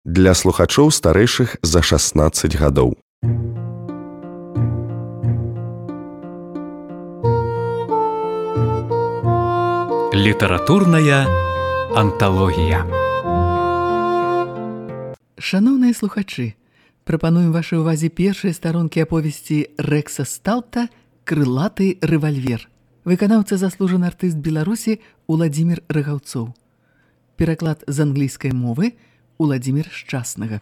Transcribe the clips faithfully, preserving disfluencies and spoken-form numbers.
Для слухачоў старэйшых за шаснаццаць гадоў. Літаратурная анталогія. Шаноўныя слухачы, прапануем вашай увазе першыя старонкі аповесці Рэкса Стаўта «Крылаты рэвальвер». Выканаўца заслужаны артыст Беларусі Уладзімір Рагаўцоў. Пераклад з англійскай мовы Уладзімір Шчаснага.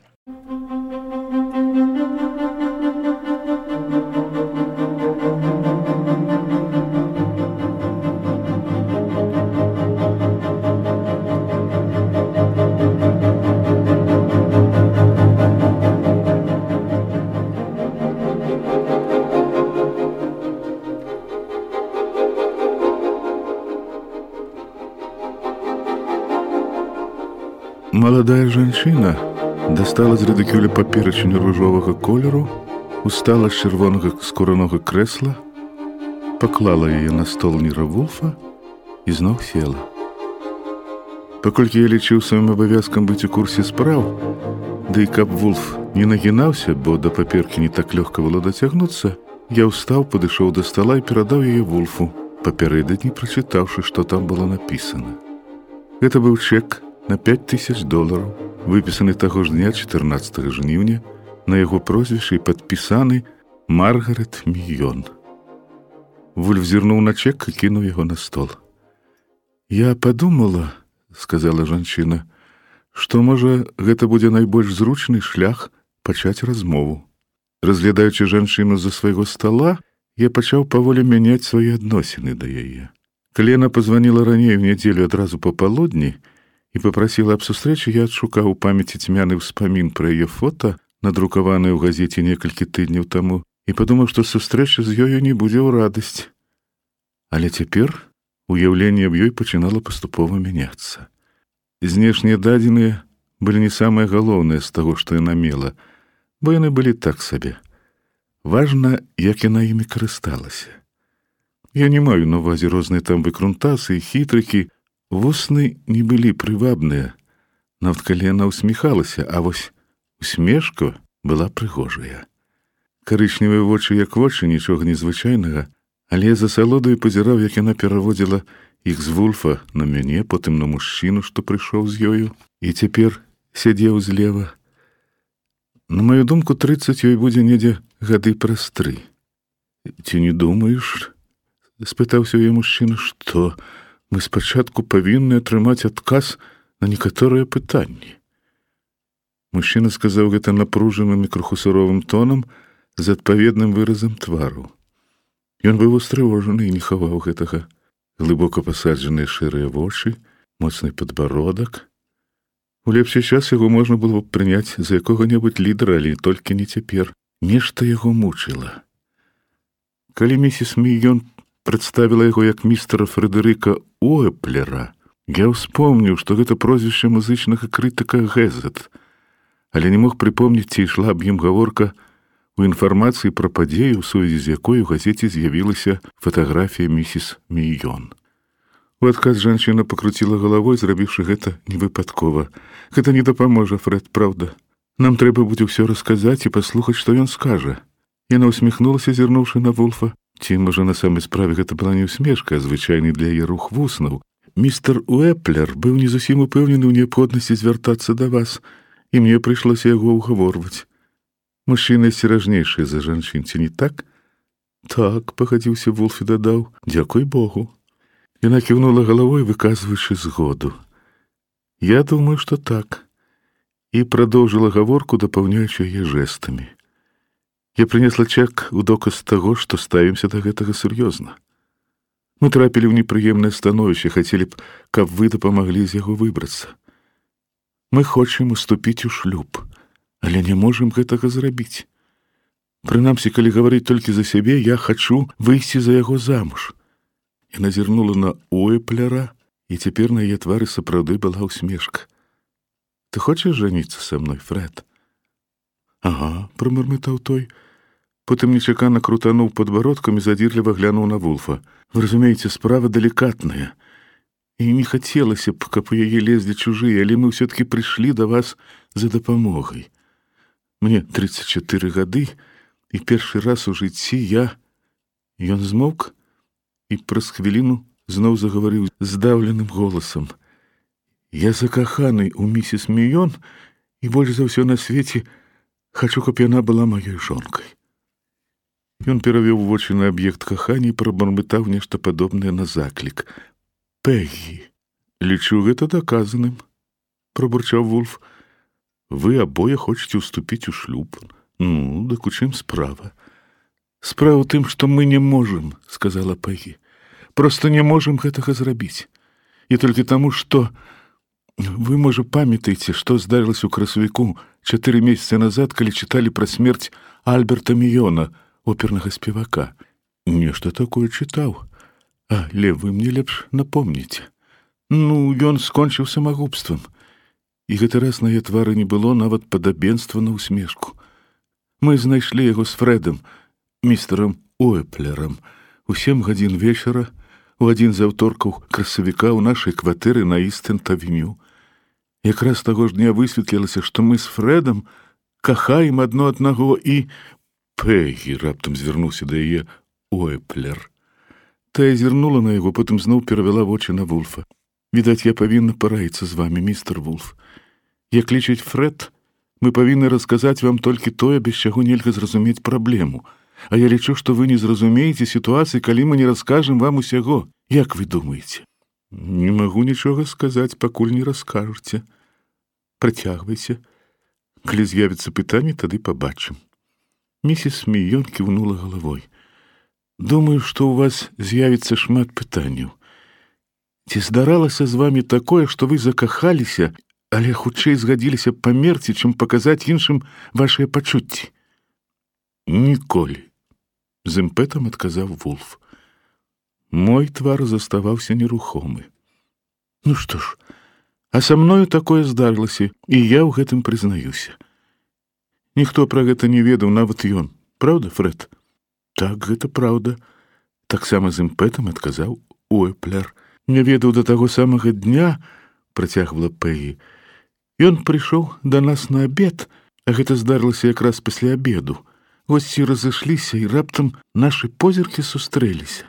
Маладая жанчына дастала з рыдыкюля паперачыню ружовага колеру, устала з чырвонага скуранога крэсла, паклала яе на стол Ніра Вулфа і зноў села. Паколькі я лічыў сваім абавязкам быць у курсе спраў, ды і каб Вулф не нагінаўся, бо да паперкі не так лёгка было дацягнуцца, я ўстаў, падышоў да стала і перадаў яе Вулфу, папярэдадні прачытаўшы, што там было напісана. Гэта быў чэк на пяць тысяч долараў, выпісаны таго ж дня чатырнаццатага жніўня, на яго прозвішча і падпісаны Маргарет Мільён. Вульф зірнуў на чэк і кінуў яго на стол. «Я падумала, — сказала жанчына, — што, можа, гэта будзе найбольш зручны шлях пачаць размову. Разглядаючы жанчыну за свайго стала, я пачаў паволі мяняць свае адносіны да яе. Калі яна пазваніла раней у нядзелю адразу папалудні і папрасіла аб сустрэчы, я адшукаў у памяці цьмяны ўспамін пра яе фота, надрукаванае ў газеце некалькі тыдняў таму, і падумаў, што сустрэча з ёю не будзе ў радасць. Але цяпер уяўленне аб ёй пачынала паступова мяняцца. Знешнія дадзеныя былі не самае галоўнае з таго, што яна мела, бо яны былі так сабе. Важна, як яна імі карысталася. Я не маю на ўвазе розныя там выкрунтасы і хітрыкі. Вусны не былі прывабныя, нават калі яна усміхалася, а вось усмешка была прыгожая. Карычневыя вочы як вочы, нічога незвычайнага, але я за асалодаю пазіраў, як яна пераводзіла іх з Вулфа на мяне, потым на мужчыну, што прыйшоў з ёю, і цяпер сядзеў злева. На маю думку, трыццаць ёй будзе недзе гады праз тры. «Ці не думаеш?» — спытаўся яе мужчына, — «што мы спачатку павінны атрымаць адказ на некаторыя пытанні». Мужчына сказаў гэта напружаным і крыху суровым тонам з адпаведным выразам твару. Ён быў устрывожаны і не хаваў гэтага. Глыбока пасаджаныя шэрыя вочы, моцны падбародак. У лепшы час яго можна было б прыняць за якога-небудзь лідара, але толькі не цяпер. Нешта яго мучыла. Калі місіс Мільён прадставіла яго як містера Фрэдэрыка Уэплера, я ўспомніў, што гэта прозвішча музычнага крытыка «Гэзет», але не мог прыпомніць, ці ішла аб ім гаворка у інфармацыі пра падзею, у сувязі з якой у газеце з'явілася фатаграфія місіс Мільён. У адказ жанчына пакруціла галавой, зрабіўшы гэта невыпадкова. «Гэта не дапаможа, Фрэд, праўда. Нам трэба будзе ўсё расказаць і паслухаць, што ён скажа». Яна усміхнулася, зірнуўшы на Вулфа. Ці, можа, на самай справе гэта была не ўсмешка, а звычайны для яе рух вуснаў. «Містер Уэплер быў не зусім упэўнены ў неабходнасці звяртацца да вас, і мне прыйшлося яго ўгаворваць. Мужчыны асцеражнейшыя за жанчын, ці не так?» «Так», — пагадзіўся Вулф і дадаў, «дзякуй Богу». Яна кіўнула галавой, выказваючы згоду. «Я думаю, што так», і прадоўжыла гаворку, дапаўняючы яе жэстамі. Я прынесла чэк у доказ таго, што ставімся да гэтага сур'ёзна. Мы трапілі ў непрыемнае становішча, хацелі б, каб вы дапамаглі з яго выбрацца. Мы хочам уступіць у шлюб, але не можам гэтага зрабіць. Прынамсі, калі гаварыць толькі за сябе, я хачу выйсці за яго замуж». Яна зірнула на Уэплера, і цяпер на яе твары сапраўды была ўсмешка. «Ты хочаш жаніцца са мной, Фрэд?» «Ага», — прамармытаў той. Потым нечакана крутануў падбародкам і задзірліва глянуў на Вулфа. «Вы разумееце, справа далікатная. І не хацелася б, каб у яе лезлі чужыя, але мы ўсё-такі прыйшлі да вас за дапамогай. Мне тридцать четыре гады, і першы раз у жыцці я... Ён змоўк і праз хвіліну зноў загаварыў здаўленым голасам. Я закаханы ў місіс Міён і больш за ўсё на свеце хачу, каб яна была маёй жонкай. Ён перавёў вочы на аб'ект кахання і прабармытаў нешта падобнае на заклік. Пегі, лічу гэта даказаным, прабурчаў Вульф. Вы абое хочаце ўступіць у шлюб. Ну, дык у чым справа? Справа ў тым, што мы не можам, сказала Пегі. Проста не можам гэтага зрабіць. І толькі таму, што вы, можа, памятаеце, што здарылася ў красавіку чатыры месяцы назад, калі чыталі пра смерць Альберта Міёна, опернага спевака. Нешта такое чытаў. Але вы мне лепш напомніце. Ну, ён скончыў самагубствам. І гэты раз на яе твары не было нават падабенства на ўсмешку. Мы знайшлі яго з Фрэдам, містерам Уэплерам, у сем гадзін вечара, у адзін з аўторкаў красавіка ў нашай кватэры на Істэнт-авеню. Якраз таго ж дня высветлілася, што мы з Фрэдам кахаем адно аднаго і... Пегі раптам звярнуўся да яе Уэплер. Тая зірнула на яго, потым зноў перавяла вочы на Вульфа. Відаць, я павінна параіцца з вамі, містер Вульф. Як лічыць Фрэд, мы павінны расказаць вам толькі тое, без чаго нельга зразумець праблему. А я лічу, што вы не зразумееце сітуацыі, калі мы не раскажам вам усяго. Як вы думаеце? Не магу нічога сказаць, пакуль не раскажаце. Працягвайце. Калі з'явіцца пытанне, тады пабачым. Місіс Міён кіўнула галавой. Думаю, што ў вас з'явіцца шмат пытанняў. Ці здаралася з вамі такое, што вы закахаліся, але хутчэй згадзіліся памерці, чым паказаць іншым вашыя пачуцці? Ніколі, з імпэтам адказаў Вульф. Мой твар заставаўся нерухомы. Ну што ж, а са мною такое здарылася, і я ў гэтым прызнаюся. Ніхто пра гэта не ведаў, нават ён. Праўда, Фрэд? Так, гэта праўда. Таксама з імпэтам адказаў Уэплер. Не ведаў да таго самага дня, працягвала Пегі. Ён прыйшоў да нас на абед, а гэта здарылася якраз пасля абеду. Госці разышліся, і раптам нашы позіркі сустрэліся.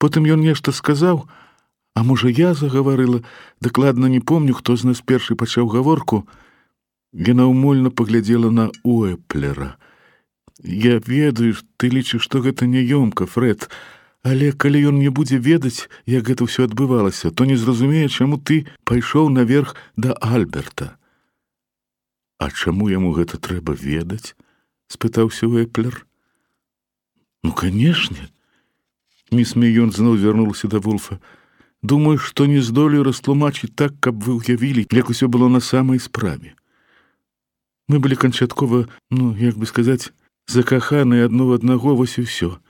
Потым ён нешта сказаў, а можа я загаварыла, дакладна не помню, хто з нас першы пачаў гаворку. Яна ўмольна паглядзела на Уэплера. Я ведаю, ты лічыш, што гэта няёмка, Фрэд, але калі ён не будзе ведаць, як гэта ўсё адбывалася, то не зразумее, чаму ты пайшоў наверх да Альберта. А чаму яму гэта трэба ведаць? Спытаўся Уэплер. Ну, канешне. Міс Міён зноў звярнулася да Вульфа. Думаю, што не здолею растлумачыць так, каб вы ўявілі, як усё было на самай справе. Мы былі канчаткова, ну, як бы сказаць, закаханыя адно ў аднаго, вось і ўсё.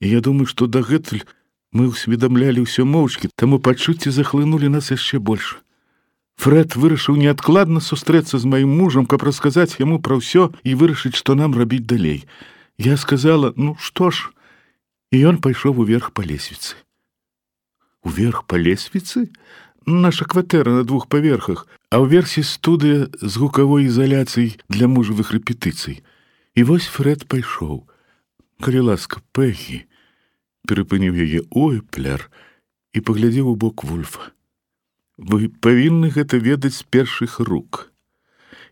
І я думаю, што дагэтуль мы ўсведамлялі ўсё моўчкі, таму пачуцці захлынулі нас яшчэ больш. Фрэд вырашыў неадкладна сустрэцца з маім мужам, каб расказаць яму пра ўсё і вырашыць, што нам рабіць далей. Я сказала, ну, што ж, і ён пайшоў уверх па лесвіцы. Уверх па лесвіцы? Наша кватэра на двух паверхах, а ўверсе студыя з гукавой ізаляцыяй для мужавых рэпетыцый. І вось Фрэд пайшоў. Калі ласка, Пегі, перапыніў яе Уэплер і паглядзеў у бок Вульфа. Вы павінны гэта ведаць з першых рук.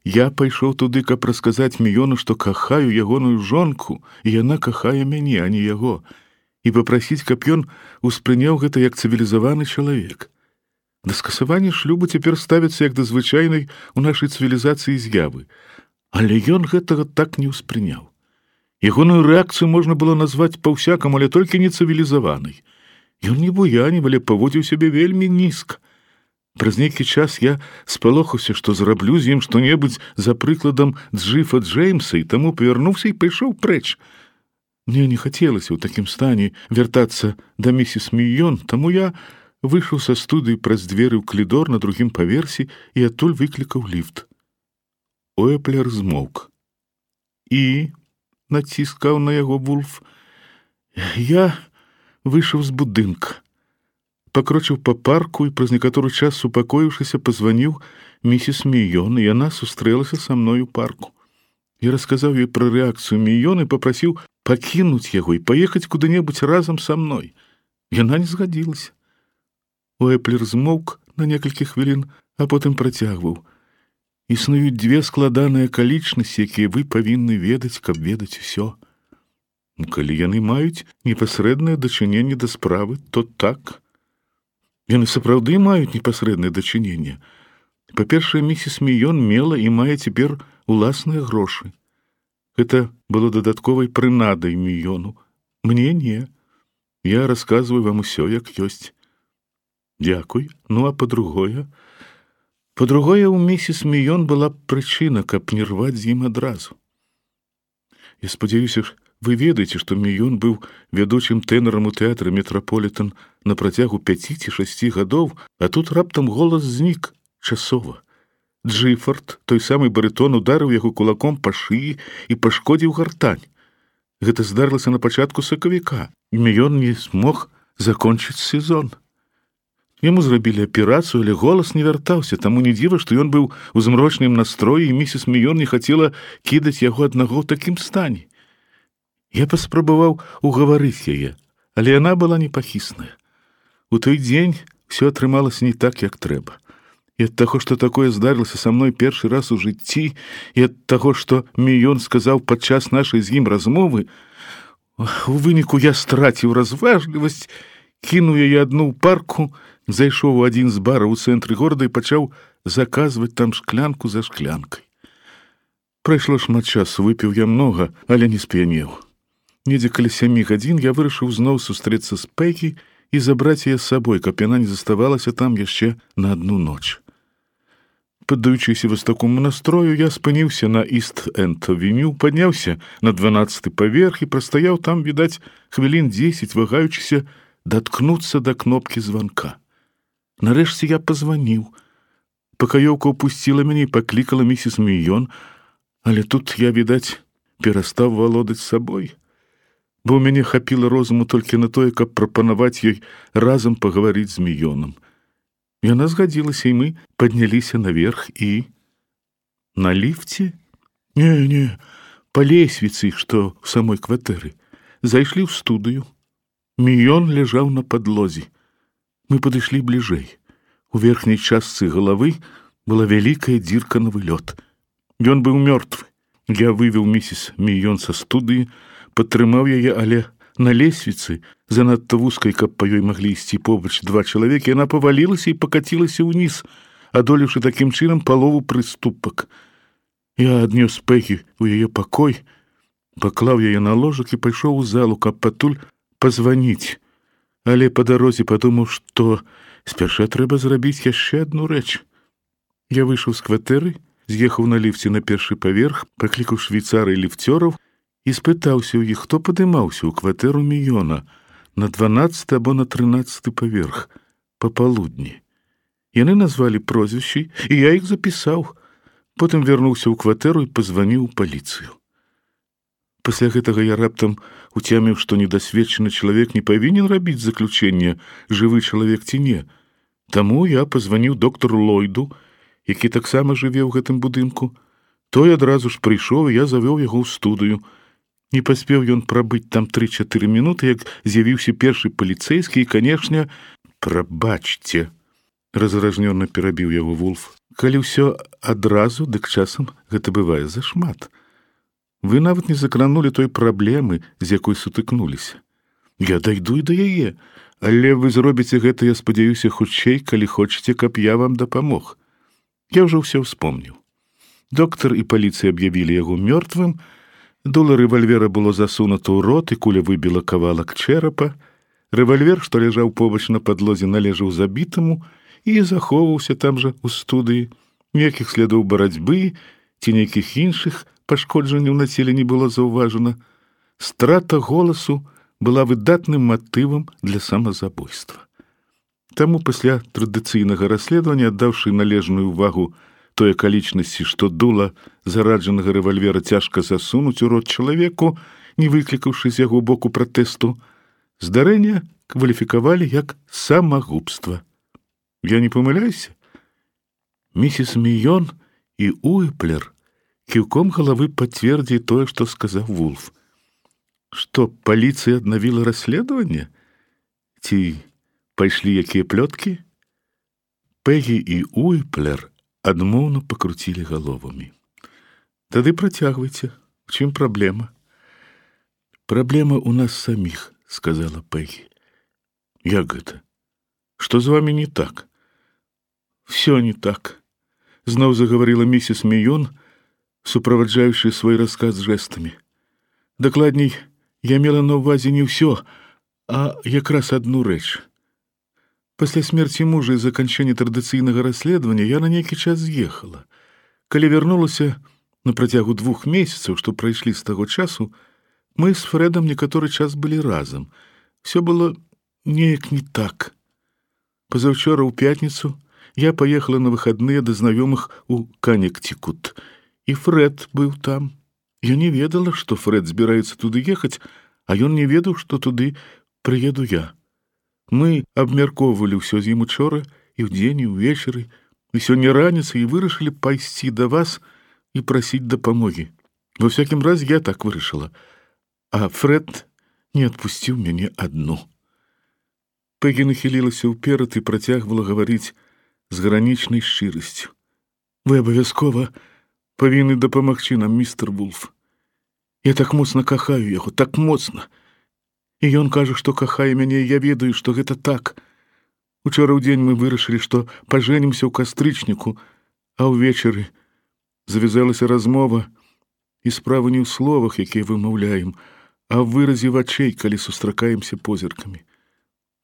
Я пайшоў туды, каб расказаць Міёну, што кахаю ягоную жонку, і яна кахае мяне, а не яго, і папрасіць, каб ён успрыняў гэта як цывілізаваны чалавек. Да скасавання шлюбу цяпер ставіцца як да звычайнай у нашай цывілізацыі з'явы. Але ён гэтага так не ўспрыняў. Ягоную рэакцыю можна было назваць па-ўсякаму, але толькі не цывілізаванай. Ён не буянів, але паводзіў сябе вельмі нізка. Праз нейкі час я спалохаўся, што зраблю з ім што-небудзь за прыкладам Джыфа Джеймса, і таму павярнуўся і пайшоў прэч. Мне не хацелася ў такім стане вяртацца да місіс Міён, таму я выйшаў са студыі праз дзверы ў калідор на другім паверсе і адтуль выклікаў ліфт. Уэплер змоўк. І, націскаў на яго Вульф, я выйшаў з будынка. пакрочыў па парку і праз некаторы час, супакоіўшыся, пазваніў місіс Міён, і яна сустрэлася са мной у парку. Я расказаў ёй пра рэакцыю Міён і папрасіў пакінуць яго і паехаць куды-небудзь разам са мной. Яна не згадзілася. Уэплер змоўк на некалькі хвілін, а потым працягваў. Існуюць дзве складаныя акалічнасці, якія вы павінны ведаць, каб ведаць усё. Калі яны маюць непасрэднае дачыненне да справы, то так. Яны сапраўды маюць непасрэднае дачыненне. Па-першае, місіс Міён мела і мае цяпер уласныя грошы. Гэта было дадатковай прынадай Міёну. Мне не. Я расказваю вам усё, як ёсць. Дзякуй. Ну, а па-другое? Па-другое, у місіс Міён была прычына, каб не рваць з ім адразу. Я спадзяюся, вы ведаеце, што Міён быў вядучым тэнарам у тэатры «Метраполітан» на працягу пяці ці шасці гадоў, а тут раптам голас знік часова. Джыфард, той самы барытон, ударыў яго кулаком па шыі і пашкодзіў гартань. Гэта здарылася на пачатку сакавіка, і Міён не змог закончыць сезон. Яму зрабілі аперацыю, але голас не вяртаўся, таму не дзіва, што ён быў у змрочным настроі, і місіс Міён не хацела кідаць яго аднаго ў такім стане. Я паспрабаваў угаварыць яе, але яна была непахісная. У той дзень ўсё атрымалася не так, як трэба. І ад таго, што такое здарылася са мной першы раз у жыцці, і ад таго, што Міён сказаў падчас нашай з ім размовы, у выніку я страціў разважлівасць, кінуў яе адну ў парку, зайшоў у адзін з бараў у цэнтры горада і пачаў заказваць там шклянку за шклянкай. Прайшло шмат часу, выпіў я многа, але не сп'янеў. Недзе каля сямі гадзін я вырашыў зноў сустрэцца з Пегі і забраць яе з сабой, каб яна не заставалася там яшчэ на адну ноч. Паддаючыся вось такому настрою, я спыніўся на Іст-Энд-авеню, падняўся на дванаццаты паверх і прастаяў там, відаць, хвілін дзесяць, вагаючыся даткнуцца да кнопкі званка. Нарэшце я пазваніў. Пакаёўка ўпусціла мяне і паклікала місіс Міён, але тут я, відаць, перастаў валодаць сабой, бо ў мяне хапіла розуму толькі на тое, каб прапанаваць ёй разам пагаварыць з Міёнам. Яна згадзілася, і мы падняліся наверх і... На ліфце? Не, не, па лесвіцы, што ў самой кватэры. Зайшлі ў студыю. Міён ляжаў на падлозе. Мы падышлі бліжэй. У верхняй частцы галавы была вялікая дзірка на вылёт. Ён быў мёртвы. Я вывеў місіс Міён са студыі, падтрымаў яе, але на лесвіцы, занадта вузкай, каб па ёй маглі ісці побач два чалавекі, яна павалілася і пакацілася ўніз, адолеўшы такім чынам палову прыступак. Я аднёс Пегі ў яе пакой, паклаў яе на ложак і пайшоў у залу, каб патуль пазваніць. Але па дарозе падумаў, што спярша трэба зрабіць яшчэ адну рэч. Я выйшаў з кватэры, з'ехаў на ліфце на першы паверх, паклікаў швейцара і ліфцёраў і спытаўся ў іх, хто падымаўся ў кватэру Міёна на дванаццаты або на трынаццаты паверх папалудні. Яны назвалі прозвішчы, і я іх запісаў. Потым вярнуўся ў кватэру і пазваніў у паліцыю. Пасля гэтага я раптам уцяміў, што недасведчаны чалавек не павінен рабіць заключэнне, жывы чалавек ці не. Таму я пазваніў доктару Ллойду, які таксама жыве ў гэтым будынку. Той адразу ж прыйшоў, і я завёў яго ў студыю. Не паспеў ён прабыць там тры-чатыры мінуты, як з'явіўся першы паліцэйскі і, канешне, прабачце, разражнёна перабіў яго Вулф. Калі ўсё адразу, дык часам гэта бывае зашмат. Вы нават не закранулі той праблемы, з якой сутыкнуліся. Я дайду і да яе, але вы зробіце гэта, я спадзяюся, хутчэй, калі хочаце, каб я вам дапамог. Я ўжо ўсё ўспомніў. Доктар і паліцыя аб'явілі яго мёртвым, дула рэвальвера было засунута ў рот, і куля выбіла кавалак чэрапа. Рэвальвер, што ляжаў побач на падлозе, належаў забітаму і захоўваўся там жа ў студыі. Ніякіх слядоў барацьбы ці нейкіх іншых пашкоджанняў на целе не было заўважана. Страта голасу была выдатным матывам для самазабойства. Таму пасля традыцыйнага расследавання, аддаўшы належную ўвагу той акалічнасці, што дула зараджанага рэвальвера цяжка засунуць у рот чалавеку, не выклікаўшы з яго боку пратэсту, здарэнне кваліфікавалі як самагубства. Я не памыляюся? Місіс Міён і Уйплер кіўком галавы пацвердзі тое, што сказаў Вулф. Што, паліцыя аднавіла расследаванне? Ці пайшлі якія плёткі? Пегі і Уйплер адмоўна пакруцілі галовамі. Тады працягвайце. В чым праблема? Праблема ў нас саміх, сказала Пегі. Як гэта? Што з вамі не так? Всё не так. Зноў загаварыла місіс Міён, суправаджаючы свой расказ жэстамі. Дакладней, я мела на ўвазе не ўсё, а якраз адну рэч. Пасля смерці мужа і заканчэння традыцыйнага расследавання я на нейкі час з'ехала. Калі вярнулася на працягу двух месяцаў, што прайшлі з таго часу, мы з Фрэдам некаторы час былі разам. Всё было неяк не так. Пазаўчора ў пятніцу я паехала на выхадныя да знаёмых у Канектикут, і Фрэд быў там. Я не ведала, што Фрэд збіраецца туды ехаць, а ён не ведаў, што туды прыеду я. Мы абмяркоўвалі ўсё з ім учора, і ўдзень, і ўвечары, і сёння раніцай і вырашылі пайсці да вас і прасіць дапамогі. Во всякім разе я так вырашыла, а Фрэд не адпусціў мяне адну. Пегі нахілілася ўперад і працягвала гаварыць з гранічнай шчырасцю. Вы абавязкова павінны дапамагчы нам, містер Вулф. Я так моцна кахаю яго, так моцна. І ён кажа, што кахае мяне, і я ведаю, што гэта так. Учора ў дзень мы вырашылі, што пажэнімся ў кастрычніку, а ўвечары завязалася размова, і справа не ў словах, якія вымаўляем, а ў выразе вачэй, калі сустракаемся позіркамі.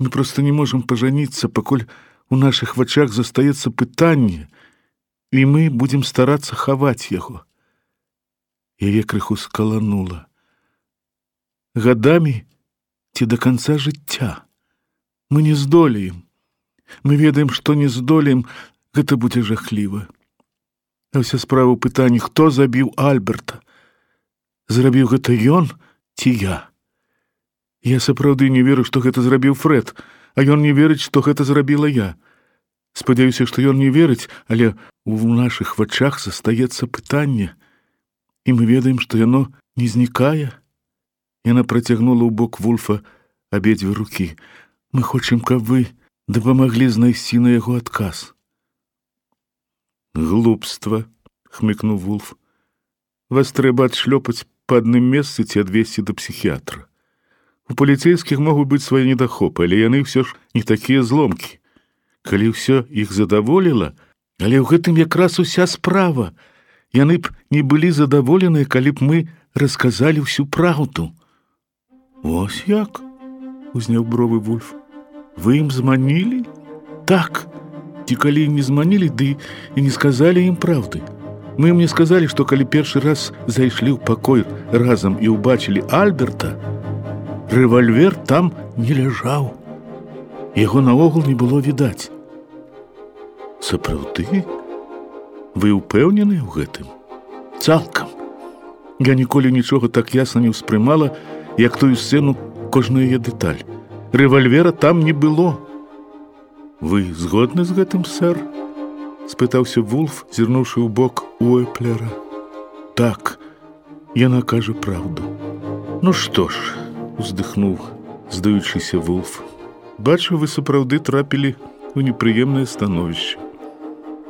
Мы проста не можам пажаніцца, пакуль у нашых вачах застаецца пытанне, і мы будзем старацца хаваць яго. Яе крыху скаланула. Гадамі ці да канца жыцця. Мы не здолеем. Мы ведаем, што не здолеем, гэта будзе жахліва. А ўся справа ў пытанні, хто забіў Альберта? Зрабіў гэта ён ці я? Я сапраўды не веру, што гэта зрабіў Фрэд, а ён не верыць, што гэта зрабіла я. Спадзяюся, што ён не верыць, але ў нашых вачах застаецца пытанне, і мы ведаем, што яно не знікае. Яна працягнула ў бок Вулфа абедзве рукі. Мы хочам, каб вы дапамаглі знайсці на яго адказ. Глупства, хмыкнуў Вулф. Вас трэба адшлёпаць па адным месцы ці адвесці да псіхіятра. У паліцейскіх могуць быць свае недахопы, але яны ўсё ж не такія зломкі. Калі ўсё іх задаволіла, але ў гэтым якраз уся справа. Яны б не былі задаволеныя, калі б мы расказалі ўсю праўду. Вось як? Узняў бровы Вульф. Вы ім зманілі? Так. Ці калі ім не зманілі, ды і не сказалі ім праўды. Мы ім не сказалі, што калі першы раз зайшлі ў пакой разам і ўбачылі Альберта, рэвальвер там не ляжаў. Яго наогул не было відаць. Сапраўды? Вы ўпэўненыя ў гэтым? Цалкам. Я ніколі нічога так ясна не ўспрымала, як тую сцэну, кожную яе дэталь. Рэвальвера там не было. Вы згодны з гэтым, сэр? Спытаўся Вулф, зірнуўшы ў бок Уэплера. Так, яна кажа праўду. Ну што ж, уздыхнуў, здаючыся Вулф. Бачу, вы сапраўды трапілі ў непрыемнае становішча.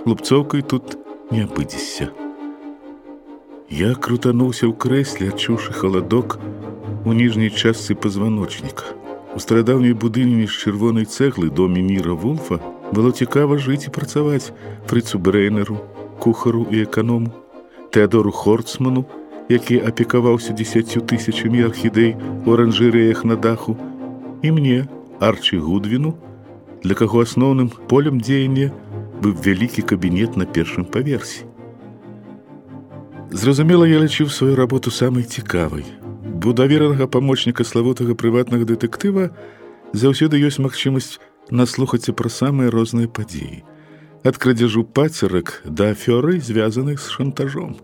Лупцоўкай тут не абыдзешся. Я крутануўся ў крэсле, адчуўшы халадок у ніжняй частцы пазваночніка. У старадаўняй будыніне з чырвонай цэглы доме Ніра Вулфа было цікава жыць і працаваць Фрыцу Брэйнеру, кухару і эканому, Тэадору Хорцману, які апекаваўся дзесяццю тысячамі архідэй у аранжэрэях на даху, і мне, Арчі Гудвіну, для каго асноўным полем дзеяння быў вялікі кабінет на першым паверсе. Зразумела, я лічыў сваю работу самай цікавай. У даверанага памочніка славутага прыватнага дэтэктыва заўсёды ёсць магчымасць наслухацца пра самыя розныя падзеі. Ад крадзяжу пацерак да афёры, звязаных з шантажом.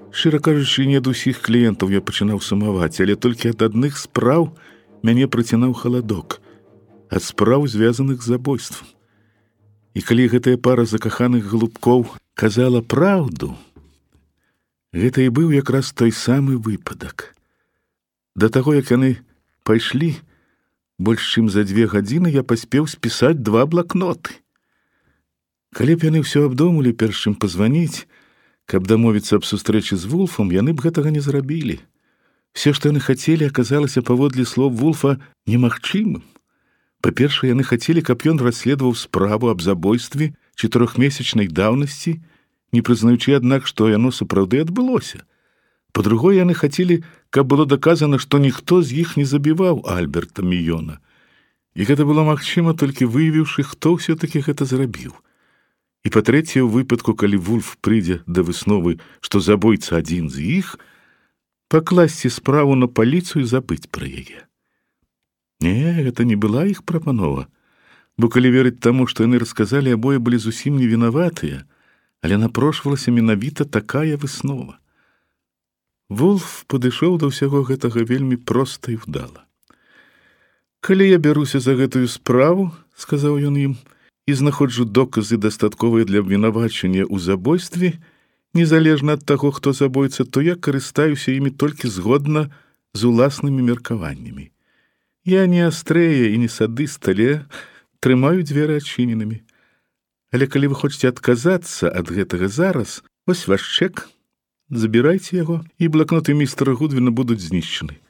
Шчыра кажучы, не ад усіх кліентаў я пачынаў сумаваць, але толькі ад адных спраў мяне прыцінаў халадок. ад спраў, звязаных з забойствам. І калі гэтая пара закаханых галубкоў казала праўду, гэта і быў якраз той самы выпадак. Да таго, як яны пайшлі, больш чым за дзве гадзіны я паспеў спісаць два блакноты. Калі б яны ўсё абдумалі, перш чым пазваніць, каб дамовіцца аб сустрэчы з Вулфам, яны б гэтага не зрабілі. Все, што яны хацелі, аказалася паводле слоў Вулфа немагчымым. Па-першае, яны хацелі, каб ён расследаваў справу аб забойстве чатырохмесячнай даўнасці, не прызнаючы, аднак, што яно сапраўды адбылося. Па-другое, яны хацелі, каб было даказана, што ніхто з іх не забіваў Альберта Мійона. І гэта было магчыма, толькі выявіўшы, хто ўсё-такі гэта зрабіў. І па-трэцяе, у выпадку, калі Вулф прыйдзе да высновы, што забойца адзін з іх, пакласці справу на паліцыю і забыць пра яе. Не, гэта не была іх прапанова, бо калі верыць таму, што яны расказалі, абое былі зусім не вінаватыя, але напрошвалася менавіта такая выснова. Вулф падышоў да ўсяго гэтага вельмі проста і вдала. «Калі я бяруся за гэтую справу, — сказаў ён ім, — і знаходжу доказы, дастатковыя для абвінавачання ў забойстве, незалежна ад таго, хто забойца, то я карыстаюся імі толькі згодна з уласнымі меркаваннямі. Я не астрэя і не садыст, але трымаю дзверы адчыненымі. Але калі вы хочаце адказацца ад гэтага зараз, вось ваш чэк, забірайце яго, і блакноты містера Гудвіна будуць знішчаны.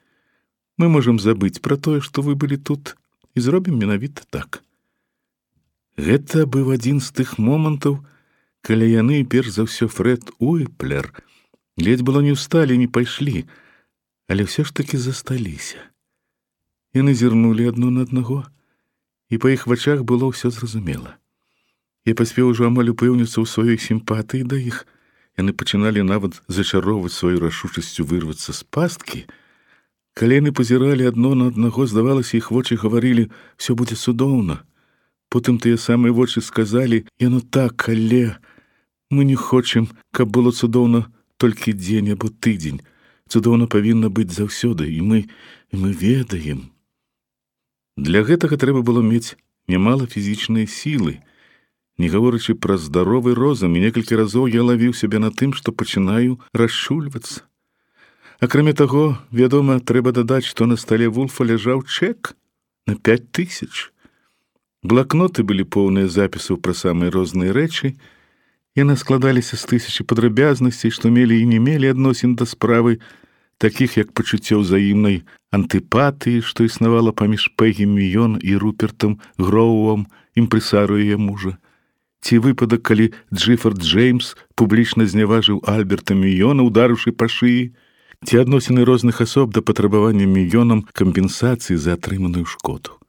Мы можам забыць пра тое, што вы былі тут, і зробім менавіта так». Гэта быў адзін з тых момантаў, калі яны, перш за ўсё Фрэд Уіплер, ледзь было не ўсталі, не пайшлі, але ўсё ж такі засталіся. Яны зірнулі адно на аднаго, і па іх вачах было ўсё зразумела. Я паспеў ужо амаль упэўніцца ў сваёй сімпатыі да іх. Яны пачыналі нават зачароўваць сваю рашучасцю вырвацца з пасткі. Калі яны пазіралі адно на аднаго, здавалася, іх вочы гаварылі: «Всё будзе цудоўна». Потым тыя самыя вочы сказалі: «Яно так, але мы не хочам, каб было цудоўна толькі дзень або тыдзень. Цудоўна павінна быць заўсёды, і мы, і мы ведаем». Для гэтага трэба было мець нямала фізічнай сілы. Не гаворачы пра здаровы розум, і некалькі разоў я лавіў сябе на тым, што пачынаю расчульвацца. Акрамя таго, вядома, трэба дадаць, што на стале Вулфа ляжаў чэк на пяць тысяч. Блакноты былі поўныя запісаў пра самыя розныя рэчы. Яны складаліся з тысячы падрабязнасцей, што мелі і не мелі адносін да справы, такіх як пачуццё ўзаемнай антыпатыі, што існавала паміж Пегі Мійон і Рупертам Гроуам, імпрэсару яе мужа. Ці выпадак, калі Джиффорд Джеймс публічна зняважыў Альберта Мійона, ударыўшы па шыі, ці адносіны розных асоб да патрабавання Мійонам кампенсацыі за атрыманую шкоду.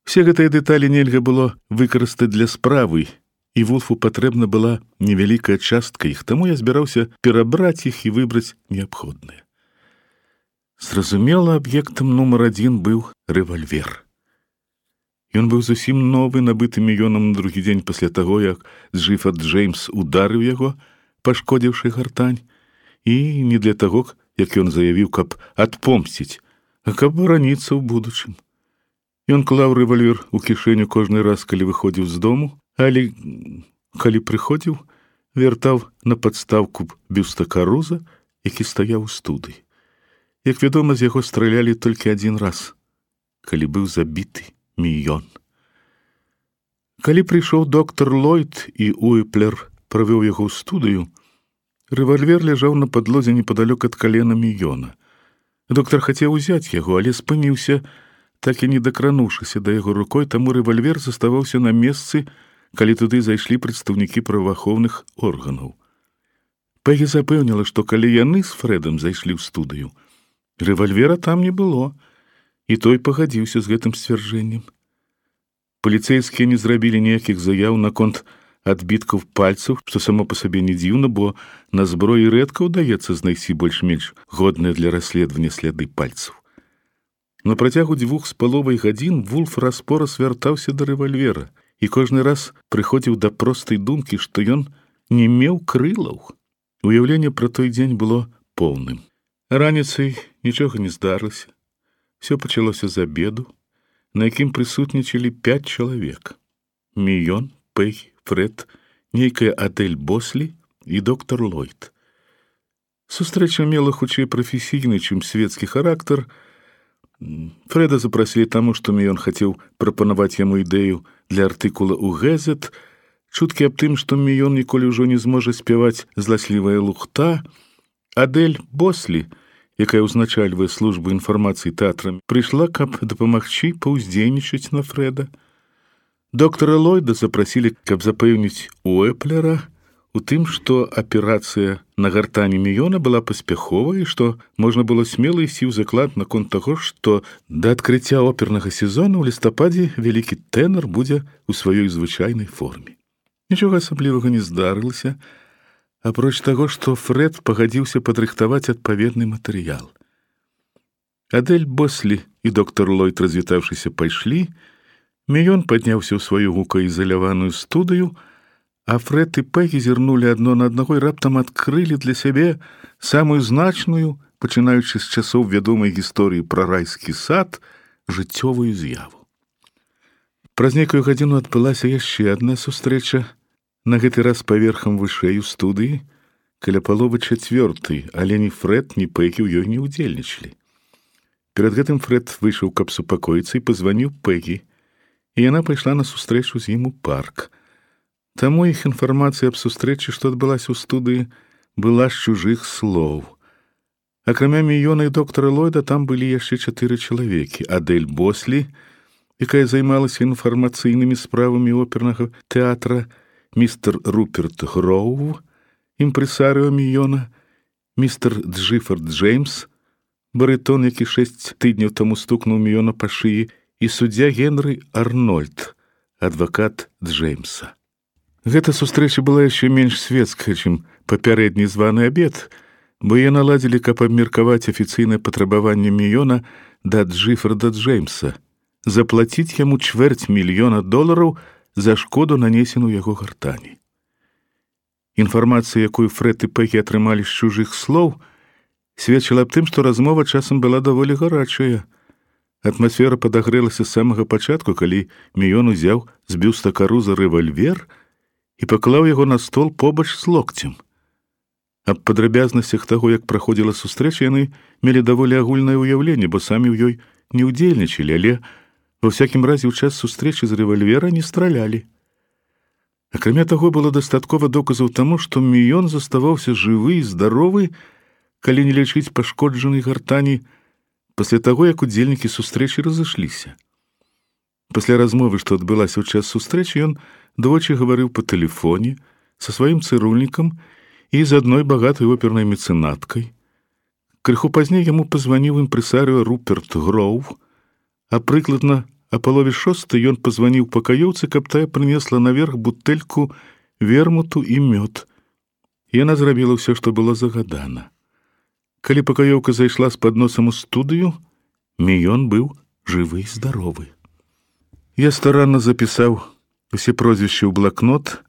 Все гэтыя дэталі нельга было выкарыстаць для справы, і Вулфу патрэбна была невялікая частка іх, таму я збіраўся перабраць іх і выбраць неабходныя. Зразумела, аб'ектам нумар адзін быў рэвальвер. Ён быў зусім новы, набыты Мійонам на другі дзень пасля таго, як Джиффорд Джеймс ударыў яго, пашкодзіўшы гартань, і не для таго, як ён заявіў, каб адпомсціць, а каб бараніцца ў будучым. Ён клаў рэвальвер у кішэню кожны раз, калі выходзіў з дому, але калі прыходзіў, вяртаў на падстаўку бюста Каруза, які стаяў у студыі. Як вядома, з яго стралялі толькі адзін раз, калі быў забіты Мійон. Калі прыйшоў доктар Ллойд і Уіплер правёў яго ў студыю, рэвальвер ляжаў на падлозе непадалёк ад калена Мійона. Доктар хацеў узяць яго, але спыніўся, так і не дакрануўшыся да яго рукой, таму рэвальвер заставаўся на месцы, калі туды зайшлі прадстаўнікі праваахоўных органаў. Пегі запэўніла, што калі яны з Фрэдам зайшлі ў студыю, рэвальвера там не было, і той пагадзіўся з гэтым сцвярджэннем. Паліцэйскія не зрабілі ніякіх заяў наконт адбіткаў пальцаў, што само па сабе не дзіўна, бо на зброі рэдка ўдаецца знайсці больш-менш годныя для расследавання сляды пальцаў. На працягу дзвюх з паловай гадзін Вулф раз-пораз вяртаўся да рэвальвера і кожны раз прыходзіў да простай думкі, што ён не меў крылаў. Уяўленне пра той дзень было поўным. Раніцай нічога не здарылася. Всё пачалося з абеду. на якім прысутнічалі пяць чалавек: Міён, Пэгі, Фрэд, нейкая Адэль Бослі і доктар Ллойд. Сустрэча мела хутчэй прафесійны, чым светскі характар. Фрэда запрасілі таму, што Міён хацеў прапанаваць яму ідэю для артыкула ў Гэзет. Чуткі аб тым, што Міён ніколі ўжо не зможа спяваць «Зласлівая лухта». Адэль Бослі, якая ўзначальвае службу інфармацыі тэатра, прыйшла, каб дапамагчы паўздзейнічаць на Фрэда. Доктара Ллойда запрасілі, каб запэўніць Уэплера у тым, што аперацыя на гартані Міёна была паспяховай і што можна было смела ісці ў заклад наконт таго, што да адкрыцця опернага сезону ў лістападзе вялікі тэнар будзе ў сваёй звычайнай форме. Нічога асаблівага не здарылася, апроч таго, што Фрэд пагадзіўся падрыхтаваць адпаведны матэрыял. Адэль Бослі і доктар Ллойд, развітаўшыся, пайшлі. Міён падняўся ў сваю гукаізаляваную студыю, а Фрэд і Пэгі зірнулі адно на аднаго і раптам адкрылі для сябе самую значную, пачынаючы з часоў вядомай гісторыі пра райскі сад, жыццёвую з'яву. Праз нейкую гадзіну адбылася яшчэ адна сустрэча, на гэты раз паверхам вышэй у студыі, каля паловы чацвёртай, але ні Фрэд, ні Пэгі ў ёй не ўдзельнічалі. Перад гэтым Фрэд выйшаў, каб супакоіцца, і пазваніў Пэгі, і яна пайшла на сустрэчу з ім у парк. Таму іх інфармацыя аб сустрэчы, што адбылася ў студыі, была з чужых слоў. Акрамя Міёна і доктара Ллойда там былі яшчэ чатыры чалавекі: Адэль Бослі, якая займалася інфармацыйнымі справамі опернага тэатра, містер Руперт Гроув, імпрэсарыо Міёна, містер Джиффорд Джеймс, барытон, які шэсць тыдняў таму стукнуў Міёна па шыі, і суддзя Генры Арнольд, адвакат Джеймса. Гэта сустрэча была яшчэ менш светская, чым папярэдні званы абед, бо яе наладзілі, каб абмеркаваць афіцыйнае патрабаванне Міёна да Джиффорда Джеймса, заплаціць яму чвэрць мільёна долараў за шкоду, нанесеную яго гартані. Інфармацыя, якую Фрэд і Пэгі атрымалі з чужых слоў, сведчыла аб тым, што размова часам была даволі гарачая. Атмасфера падагрэлася з самага пачатку, калі Міён узяў з бюста Каруза рэвальвер і паклаў яго на стол побач з локцем. Аб падрабязнасцях таго, як праходзіла сустрэча, яны мелі даволі агульнае ўяўленне, бо самі ў ёй не ўдзельнічалі, але ва ўсякім разе ў час сустрэчы з рэвальвера не стралялі. Акрамя таго, было дастаткова доказаў таму, што Міён заставаўся жывы і здаровы, калі не лічыць пашкоджанай гартані, пасля таго, як удзельнікі сустрэчы разышліся. Пасля размовы, што адбылася ў час сустрэчы, ён двойчы гаварыў па тэлефоне са сваім цырульнікам і з адной багатай опернай мецэнаткай. Крыху пазней яму пазваніў імпрэсарыо Руперт Гроув, а прыкладна а палове шостай ён пазваніў пакаёўцы, каб тая прынесла наверх бутэльку вермуту і мёд. Яна зрабіла ўсё, што было загадана. Калі пакаёўка зайшла з падносам у студыю, Міён быў жывы і здаровы. Я старанна запісаў усе прозвішчы ў блакнот,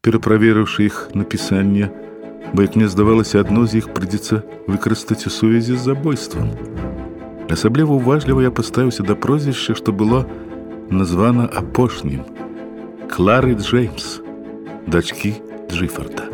пераправерыўшы іх напісанне, бо, як мне здавалася, адно з іх прыйдзецца выкарыстаць у сувязі з забойствам. Асабліва уважліва я паставіўся да прозвішча, што было названа апошнім — Клары Джеймс, дачкі Джиффорда.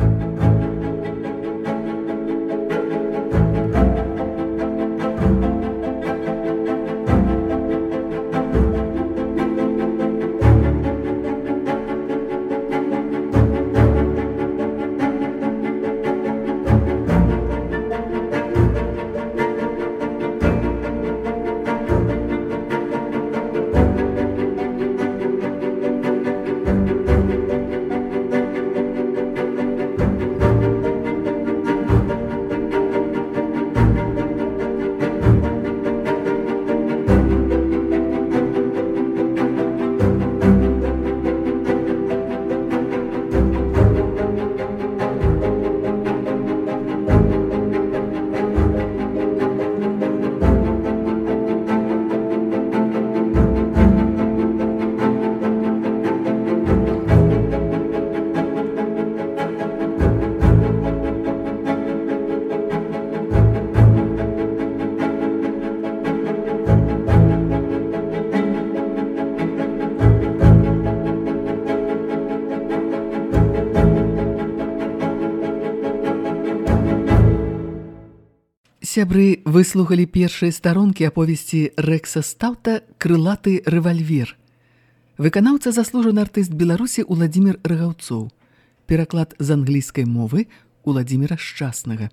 Сябры, выслухалі першыя старонкі аповесці Рэкса Стаўта «Крылаты рэвальвер». Выканаўца заслужаны артыст Беларусі Уладзімір Рагаўцоў. Пераклад з англійскай мовы Уладзіміра Шчаснага.